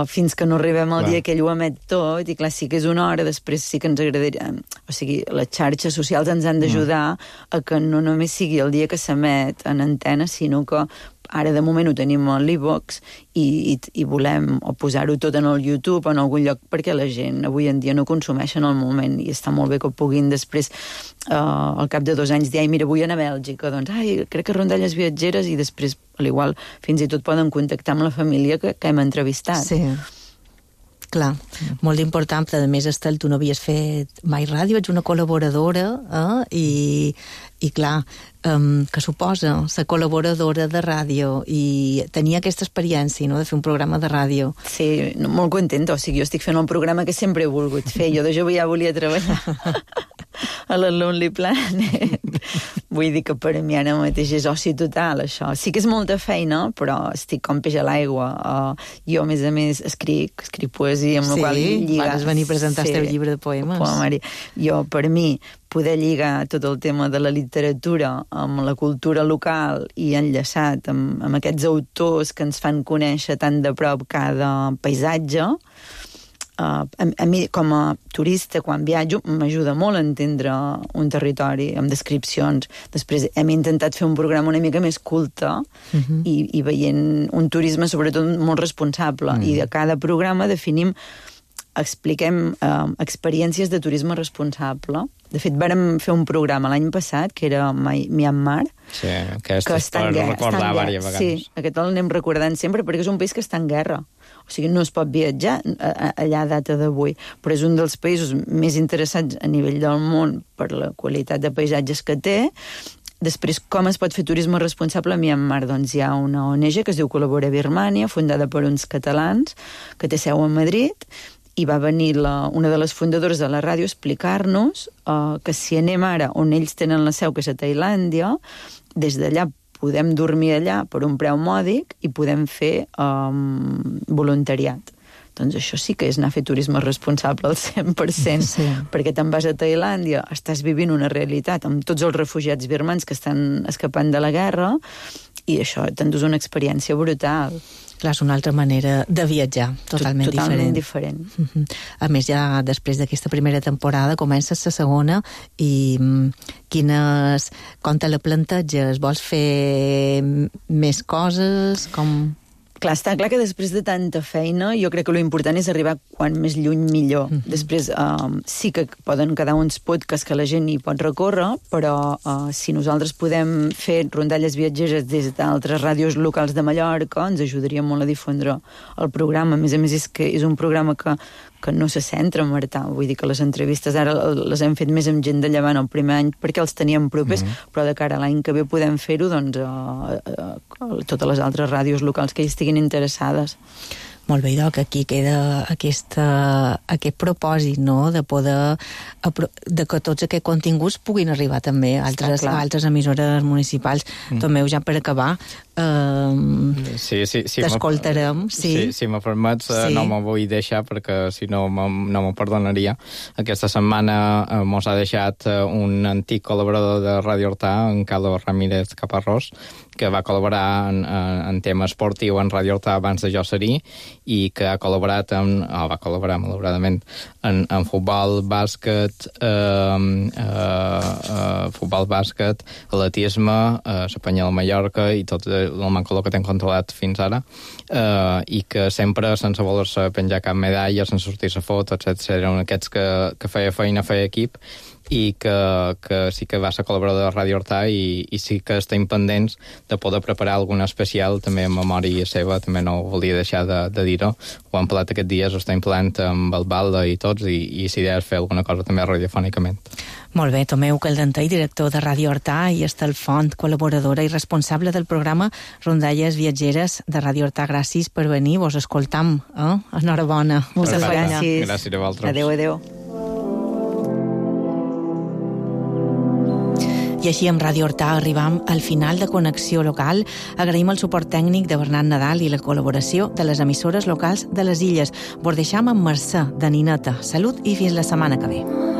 fins que no arribem al dia que ell ho emet tot, i clar, sí que és una hora, després sí que ens agradaria... O sigui, les xarxes socials ens han d'ajudar a que no només sigui el dia que s'emet en antena, sinó que ara de moment ho tenim a l'e-box i volem posar-ho tot en el YouTube o en algun lloc, perquè la gent avui en dia no consumeix en el moment, i està molt bé que puguin després al cap de 2 anys dir, ai, mira, vull anar a Bèlgica, doncs, ai, crec que Rondalles Viatgeres, i després, a l'igual, fins i tot poden contactar amb la família que hem entrevistat. Sí. Clar, molt important, però a més, Estel, tu no havies fet mai ràdio, ets una col·laboradora, i clar, que suposa ser col·laboradora de ràdio i tenir aquesta experiència, no?, de fer un programa de ràdio. Sí, molt contenta, o sigui, jo estic fent un programa que sempre he volgut fer, jo de jove ja volia treballar a la Lonely Planet. Vull dir que per a mi ara mateix és oci total, això. Sí que és molta feina, però estic com peix a l'aigua. Jo, a més, escric poesia, amb la qual lliga... Vas venir a presentar el teu llibre de poemes. Jo, per mi, poder lligar tot el tema de la literatura amb la cultura local i enllaçat amb aquests autors que ens fan conèixer tan de prop cada paisatge, a mi, com a turista, quan viatjo, m'ajuda molt a entendre un territori amb descripcions. Després hem intentat fer un programa una mica més culte i veient un turisme, sobretot, molt responsable. I de cada programa expliquem experiències de turisme responsable. De fet, vàrem fer un programa l'any passat, que era Myanmar, que està en guerra. Recordar diverses vegades. Sí, aquest l'anem recordant sempre, perquè és un país que està en guerra. O sigui, no es pot viatjar allà a data d'avui, però és un dels països més interessants a nivell del món per la qualitat de paisatges que té. Després, com es pot fer turisme responsable a Myanmar? Doncs hi ha una ONG que es diu Col·labora Birmània, fundada per uns catalans, que té seu a Madrid, i va venir una de les fundadores de la ràdio a explicar-nos que si anem ara on ells tenen la seu, que és a Tailàndia, des d'allà podem dormir allà per un preu mòdic i podem fer voluntariat. Doncs això sí que és anar a fer turisme responsable al 100%, perquè te'n vas a Tailàndia, estàs vivint una realitat amb tots els refugiats birmans que estan escapant de la guerra, i això t'endús una experiència brutal. Clar, és una altra manera de viatjar, totalment diferent. A més, ja després d'aquesta primera temporada comences la segona, i com te la planteges? Vols fer més coses? Clar, està clar que després de tanta feina jo crec que l'important és arribar quan més lluny millor. Després sí que poden quedar uns podcasts que la gent hi pot recórrer, però si nosaltres podem fer rondalles viatgeres des d'altres ràdios locals de Mallorca, ens ajudaria molt a difondre el programa. A més, és que és un programa que no se centra en Artà. Vull dir que les entrevistes ara les hem fet més amb gent de Llevant el primer any perquè els teníem propers, però de cara a l'any que ve podem fer-ho totes les altres ràdios locals que hi estiguin interessades. Molt bé, Doc, aquí queda aquest propòsit, no?, de poder de que tots aquests continguts puguin arribar també a altres emissores municipals. Tomeu, ja per acabar, t'escoltarem. Si me permets, no m'ho vull deixar perquè si no m'ho perdonaria. Aquesta setmana mos ha deixat un antic col·laborador de Ràdio Artà, en Carlos Ramírez Caparrós, que va col·laborar en tema esportiu en Ràdio Artà abans de jo ser-hi, i que ha col·laborat va col·laborar malauradament en futbol, bàsquet, atletisme, l'Espanyol a Mallorca i tot el mancoló que t'hem controlat fins ara, i que sempre, sense voler-se penjar cap medalla, sense sortir-se foto, etc., eren aquests que feia feina, feia equip, i que sí que va ser col·laborador de Ràdio Artà, i sí que estem pendents de poder preparar alguna especial també en memòria seva, també no volia deixar de dir-ho. Ho hem parlat aquests dies, ho estem parlant amb el Balda i tots, i si idea és fer alguna cosa també radiofònicament. Molt bé, Tomeu Caldentei, director de Ràdio Artà, i Estel Font, col·laboradora i responsable del programa Rondalles Viatgeres de Ràdio Artà. Gràcies per venir, vos escoltam. Enhorabona. Moltes gràcies. Gràcies a vosaltres. Adéu. I així amb Ràdio Horta arribam al final de Connexió Local. Agraïm el suport tècnic de Bernat Nadal i la col·laboració de les emissores locals de les Illes. Vos deixam amb Mercè, de Nineta. Salut i fins la setmana que ve.